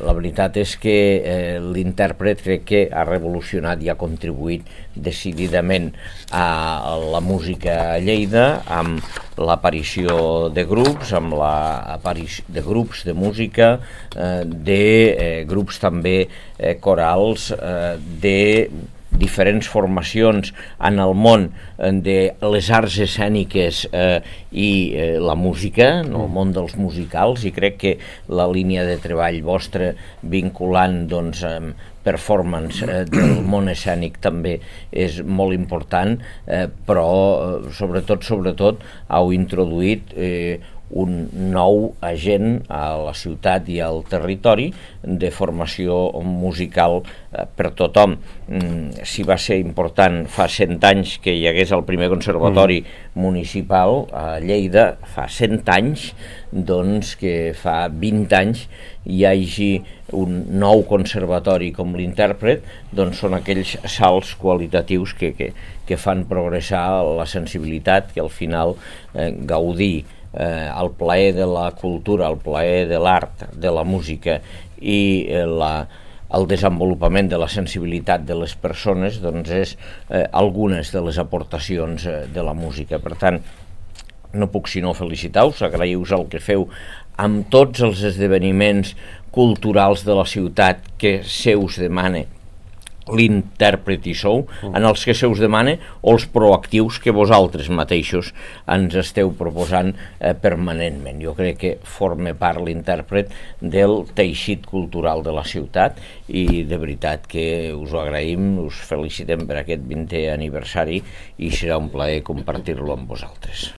La veritat és que l'intèrpret crec que ha revolucionat i ha contribuït decididament a la música a Lleida amb l'aparició de grups, amb l'aparició de grups de música, de grups també corals, de diferents formacions en el món de les arts escèniques i la música, en el món dels musicals, i crec que la línia de treball vostra vinculant doncs performance del món escènic també és molt important, però sobretot heu introduït un nou agent a la ciutat i al territori de formació musical per tothom. Si va ser important fa 100 anys que hi hagués el primer conservatori municipal a Lleida, fa 100 anys, doncs que fa 20 anys hi hagi un nou conservatori com l'intèrpret, doncs són aquells salts qualitatius que fan progressar la sensibilitat, que al final gaudir el plaer de la cultura, el plaer de l'art, de la música i el desenvolupament de la sensibilitat de les persones, doncs és algunes de les aportacions de la música. Per tant, no puc sinó felicitar-vos, agrair-vos el que feu amb tots els esdeveniments culturals de la ciutat que se us demana l'intèrpret i sou, en els que se us demana, o els proactius que vosaltres mateixos ens esteu proposant permanentment. Jo crec que forma part l'intèrpret del teixit cultural de la ciutat i de veritat que us ho agraïm, us felicitem per aquest 20è aniversari i serà un plaer compartir-lo amb vosaltres.